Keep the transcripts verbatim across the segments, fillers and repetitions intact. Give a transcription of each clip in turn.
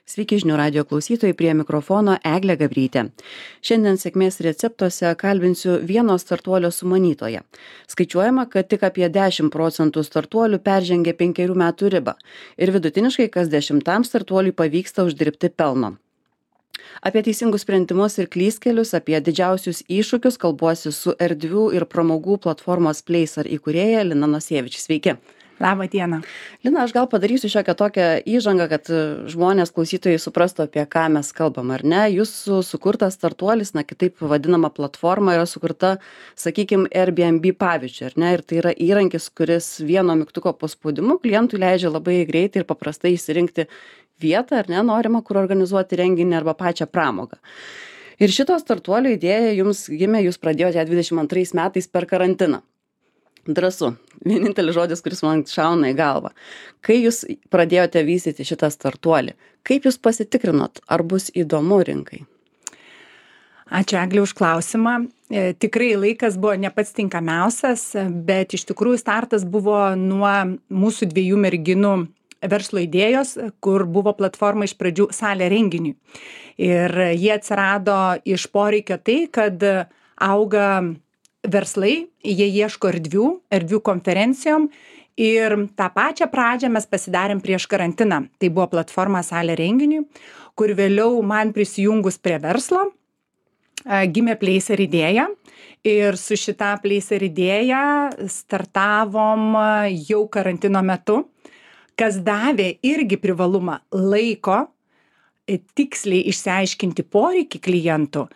Sveiki žinių radio klausytojai, prie mikrofono Eglė Gabrytė. Šiandien sėkmės receptuose kalbinsiu vieno startuolio sumanytoją. Skaičiuojama, kad tik apie dešimt procentų startuolių peržengia penkerių metų ribą ir vidutiniškai kas dešimtam startuoliui pavyksta uždirbti pelno. Apie teisingus sprendimus ir klystkelius, apie didžiausius iššūkius kalbuosi su erdvių ir pramogų platformos Placer įkūrėja Lina Nosėvič. Sveiki. Labą dieną. Lina, aš gal padarysiu šiokią tokią įžangą, kad žmonės, klausytojai suprastų, apie ką mes kalbam, ar ne? Jūsų sukurtas startuolis, na kitaip vadinama platforma, yra sukurta, sakykime, Airbnb pavyzdžiui, ar ne? Ir tai yra įrankis, kuris vieno mygtuko paspaudimu klientui leidžia labai greitai ir paprastai išsirinkti vietą, ar ne, norimą, kur organizuoti renginį arba pačią pramogą. Ir šito startuolio idėja jums gimė, jūs pradėjote dvidešimt antrais metais per karantiną. Drąsu. Vienintelis žodis, kuris man šauna į galvą. Kai jūs pradėjote vystyti šitą startuolį, kaip jūs pasitikrinot, ar bus įdomu rinkai? Ačiū Eglė už klausimą. E, tikrai laikas buvo ne pats tinkamiausias, bet iš tikrųjų startas buvo nuo mūsų dviejų merginų verslo idėjos, kur buvo platforma iš pradžių salė renginiui. Ir jie atsirado iš poreikio tai, kad auga verslai, jie ieško erdvių, erdvių konferencijom ir tą pačią pradžią mes pasidarėm prieš karantiną. Tai buvo platforma salė renginiui, kur vėliau man prisijungus prie verslo gimė Placer idėja ir su šita Placer idėja startavom jau karantino metu, kas davė irgi privalumą laiko tiksliai išsiaiškinti poreikį klientų,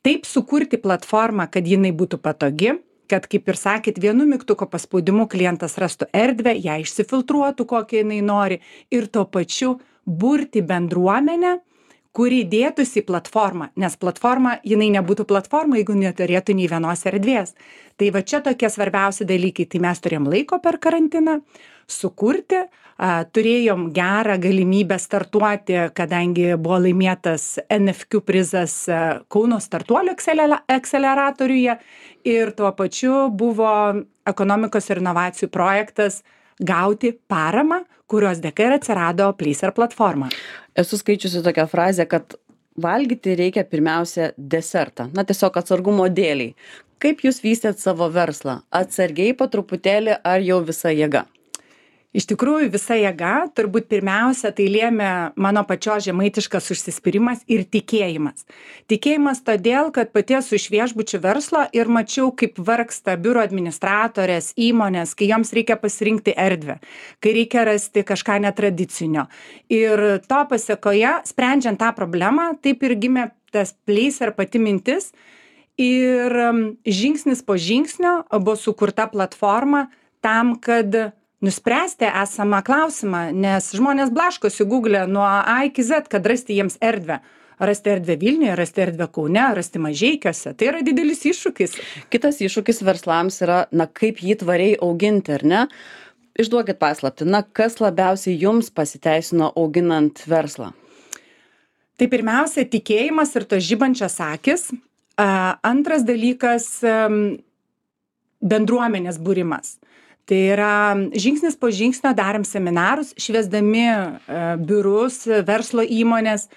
taip sukurti platformą, kad jinai būtų patogi, kad, kaip ir sakėt, vienu mygtuko paspaudimu klientas rastų erdvę, ją išsifiltruotų, kokią jinai nori ir tuo pačiu burti bendruomenę, kuri dėtųsi į platformą, nes platforma, jinai nebūtų platforma, jeigu neturėtų nei vienos erdvės. Tai va čia tokie svarbiausi dalykai, tai mes turėjom laiko per karantiną sukurti, a, turėjom gerą galimybę startuoti, kadangi buvo laimėtas N F Q prizas a, Kauno startuolių akseleratoriuje ir tuo pačiu buvo ekonomikos ir inovacijų projektas gauti paramą, kurios dėka ir atsirado Placer platforma. Esu skaičiusi tokią frazę, kad valgyti reikia pirmiausia desertą, na tiesiog atsargumo dėliai. Kaip jūs vystėt savo verslą? Atsargiai po truputėlį ar jau visa jėga? Iš tikrųjų, visa jėga, turbūt pirmiausia, tai lėmė mano pačios žemaitiškas užsispyrimas ir tikėjimas. Tikėjimas todėl, kad pati esu iš viešbučių verslo ir mačiau, kaip vargsta biuro administratorės, įmonės, kai joms reikia pasirinkti erdvę, kai reikia rasti kažką netradicinio. Ir to pasekoje, sprendžiant tą problemą, taip ir gimė tas Placer pati mintis ir žingsnis po žingsnio buvo sukurta platforma tam, kad nuspręsti esamą klausimą, nes žmonės blaškosi Google nuo A iki Z, kad rasti jiems erdvę. Rasti erdvę Vilniuje, rasti erdvę Kaune, rasti Mažeikiuose. Tai yra didelis iššūkis. Kitas iššūkis verslams yra, na, kaip jį tvariai auginti, ar ne? Išduokit paslaptį, na, kas labiausiai jums pasiteisino auginant verslą? Tai pirmiausia, tikėjimas ir tos žibančios akis. Antras dalykas - bendruomenės būrimas. Tai yra žingsnis po žingsnio darėm seminarus, šviesdami biurus, verslo įmonės,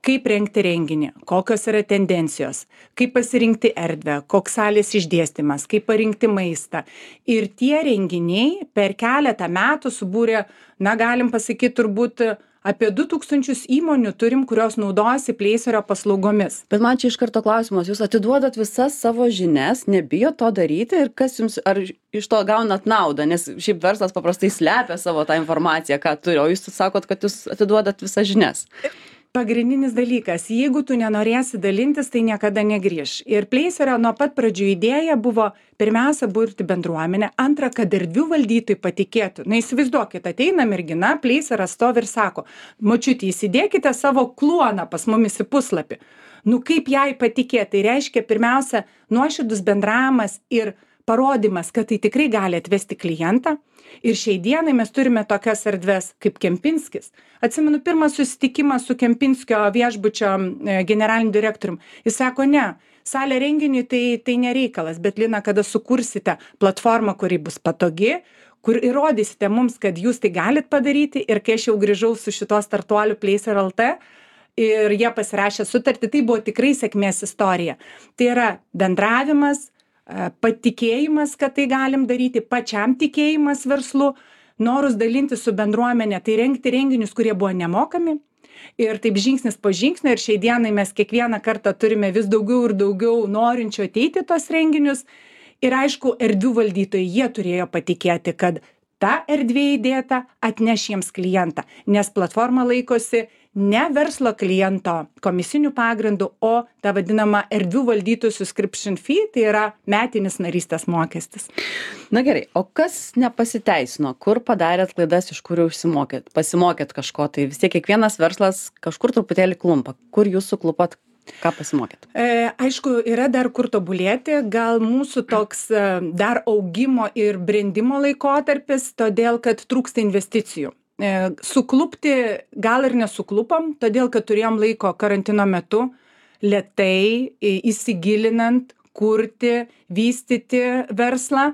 kaip rengti renginį, kokios yra tendencijos, kaip pasirinkti erdvę, koks salės išdėstymas, kaip parinkti maistą. Ir tie renginiai per keletą metų subūrė, na galim pasakyti, turbūt apie du tūkstančius įmonių turim, kurios naudojasi Placerio paslaugomis. Bet man čia iš karto klausimas, jūs atiduodat visas savo žinias, nebijot to daryti ir kas jums, ar iš to gaunat naudą, nes šiaip verslas paprastai slepia savo tą informaciją, ką turi, o jūs sakot, kad jūs atiduodat visas žinias. Pagrindinis dalykas, jeigu tu nenorėsi dalintis, tai niekada negrįš. Ir Placerio nuo pat pradžių idėja buvo pirmiausia burti bendruomenę, antra, kad erdvių valdytojai patikėtų. Na įsivaizduokit, ateina mergina, Placeras stovi ir sako, močiutė, įsidėkite savo kluoną pas mumis į puslapį. Nu kaip jai patikėti, tai reiškia pirmiausia nuoširdus bendravimas ir parodymas, kad tai tikrai gali atvesti klientą. Ir šiai dienai mes turime tokias erdves kaip Kempinskis. Atsimenu pirmą susitikimą su Kempinskio viešbučio generaliniu direktoriumi. Jis sako, ne, salė renginiui tai, tai nereikalas, bet Lina, kada sukursite platformą, kuri bus patogi, kur įrodysite mums, kad jūs tai galit padaryti. Ir kai aš jau grįžau su šito startuoliu Placer L T ir jie pasirašė sutartį, tai buvo tikrai sėkmės istorija. Tai yra bendravimas, patikėjimas, kad tai galim daryti, pačiam tikėjimas verslu, norus dalinti su bendruomenė, tai rengti renginius, kurie buvo nemokami. Ir taip žingsnis po žingsnio ir šiai dienai mes kiekvieną kartą turime vis daugiau ir daugiau norinčių ateiti tos renginius. Ir aišku, erdvių valdytojai, jie turėjo patikėti, kad ta erdvė įdėta atneš jiems klientą, nes platforma laikosi ne verslo kliento komisinių pagrindų, o ta vadinama erdvių valdytojų subscription fee, tai yra metinis narystės mokestis. Na gerai, o kas nepasiteisino, kur padarėt klaidas, iš kurių užsimokėt, pasimokėt kažko, tai vis tiek kiekvienas verslas kažkur truputėlį klumpa, kur jūs suklupot, ką pasimokėt? E, aišku, yra dar kur tobulėti, gal mūsų toks dar augimo ir brendimo laikotarpis, todėl kad trūksta investicijų. Suklupti gal ir nesuklupom, todėl kad turėjom laiko karantino metu lėtai įsigilinant, kurti, vystyti verslą.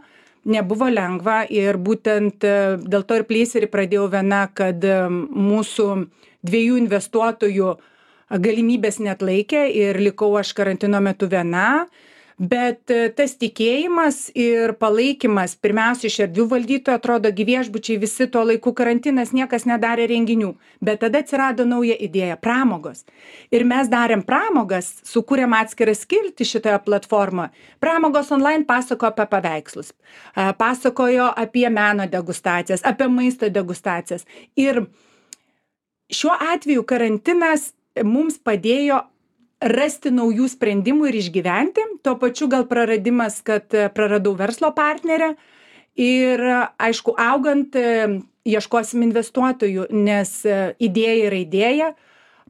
Nebuvo lengva ir būtent dėl to ir Placerį pradėjau viena, kad mūsų dviejų investuotojų galimybės neatlaikė ir likau aš karantino metu viena. Bet tas tikėjimas ir palaikymas, pirmiausia, iš erdvių valdytojų, atrodo, viešbučiai visi tuo laiku karantinas, niekas nedarė renginių. Bet tada atsirado nauja idėja – pramogos. Ir mes darėm pramogas, sukūrėm atskirą skiltį šitoje platformoje. Pramogos online pasakojo apie paveikslus, pasakojo apie meno degustacijas, apie maisto degustacijas. Ir šiuo atveju karantinas mums padėjo rasti naujų sprendimų ir išgyventi, tuo pačiu gal praradimas, kad praradau verslo partnerę ir aišku, augant ieškosim investuotojų, nes idėja yra idėja,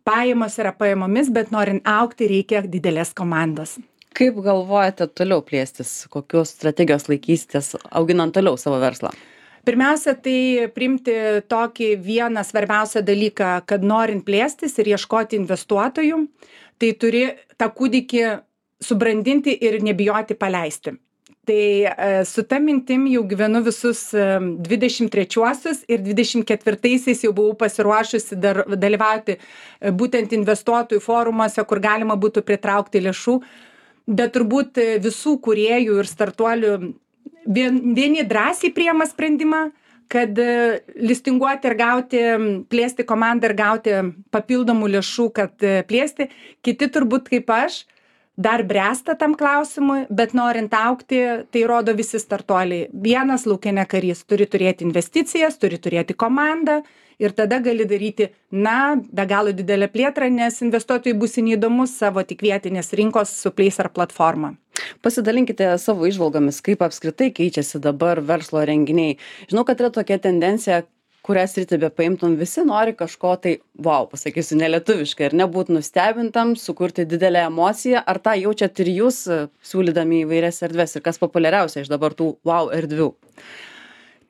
pajamos yra pajamomis, bet norint augti reikia didelės komandos. Kaip galvojate toliau plėstis, kokios strategijos laikysitės auginant toliau savo verslą? Pirmiausia, tai priimti tokį vieną svarbiausią dalyką, kad norint plėstis ir ieškoti investuotojų, tai turi tą kūdikį subrandinti ir nebijoti paleisti. Tai su ta mintim jau gyvenu visus dvidešimt trečiuosius ir dvidešimt ketvirtaisiais jau buvau pasiruošusi dar dalyvauti būtent investuotojų forumuose, kur galima būtų pritraukti lėšų. Bet turbūt visų kūrėjų ir startuolių vieni drąsiai priima sprendimą, kad listinguoti ir gauti, plėsti komandą ir gauti papildomų lėšų, kad plėsti. Kiti turbūt kaip aš dar bręsta tam klausimui, bet norint augti, tai rodo visi startuoliai. Vienas laukinė karys turi turėti investicijas, turi turėti komandą ir tada gali daryti, na, be galo didelę plėtrą, nes investuotojai bus neįdomus savo tik vietinės rinkos su Placer platforma. Pasidalinkite savo įžvalgomis, kaip apskritai keičiasi dabar verslo renginiai. Žinau, kad yra tokia tendencija, kurią sritį be paimtum, visi nori kažko tai, wow, pasakysiu, nelietuviškai, ir nebūt nustebintam, sukurti didelę emociją. Ar tą jaučiat ir jūs, siūlydami įvairias erdves, ir kas populiariausia iš dabar tų wow erdvių?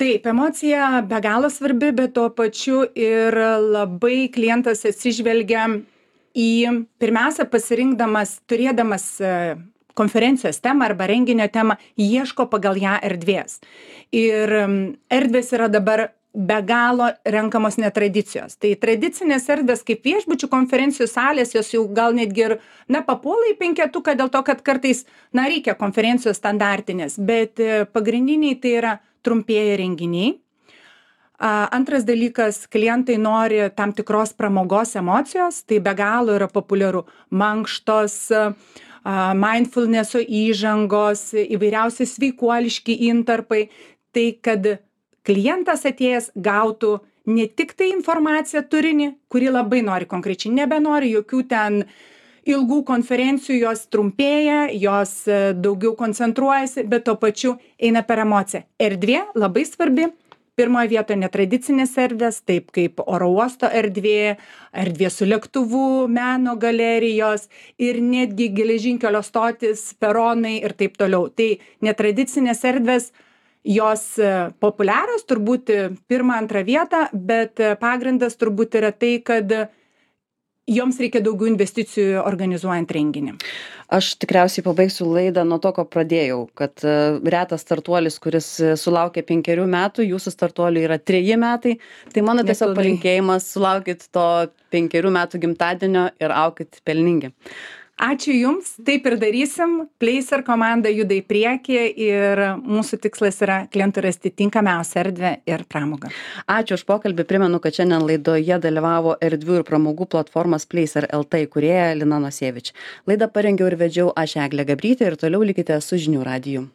Taip, emocija be galo svarbi, bet tuo pačiu ir labai klientas atsižvelgia į, pirmiausia, pasirinkdamas, turėdamas konferencijos temą arba renginio temą, ieško pagal ją erdvės. Ir erdvės yra dabar be galo renkamos netradicijos. Tai tradicinės erdvės kaip viešbučių konferencijų salės, jos jau gal netgi ir, na, papuola į penketuką dėl to, kad kartais, na, reikia konferencijos standartinės, bet pagrindiniai tai yra trumpieji renginiai. Antras dalykas, klientai nori tam tikros pramogos emocijos, tai be galo yra populiaru mankštos, mindfulnesso įžangos, įvairiausi sveikuoliški intarpai, tai kad klientas atėjęs gautų ne tik tai informaciją turinį, kurį labai nori konkrečiai, nebenori jokių ten ilgų konferencijų, jos trumpėja, jos daugiau koncentruojasi, bet tuo pačiu eina per emociją. Erdvė labai svarbi. Pirmoje vietoje netradicinės erdvės, taip kaip oro uosto erdvė, erdvė su lėktuvu, meno galerijos ir netgi geležinkelio stotis, peronai ir taip toliau. Tai netradicinės erdvės, jos populiarios, turbūt pirmą, antrą vietą, bet pagrindas turbūt yra tai, kad joms reikia daugiau investicijų organizuojant renginį. Aš tikriausiai pabaigsiu laidą nuo to, ko pradėjau, kad uh, retas startuolis, kuris sulaukia penkerių metų, jūsų startuoliui yra treji metai, tai mano tiesiog Nepilnai. palinkėjimas, sulaukit to penkerių metų gimtadienio ir aukit pelningi. Ačiū Jums, taip ir darysim. Placer komanda juda į priekį ir mūsų tikslas yra klientui rasti tinkamiausią erdvę ir pramogą. Ačiū už pokalbį. Primenu, kad šiandien laidoje dalyvavo erdvių ir pramogų platformos Placer L T įkūrėja Lina Nosėvič. Laidą parengiau ir vedžiau aš Eglė Gabrytė ir toliau likite su žinių radiju.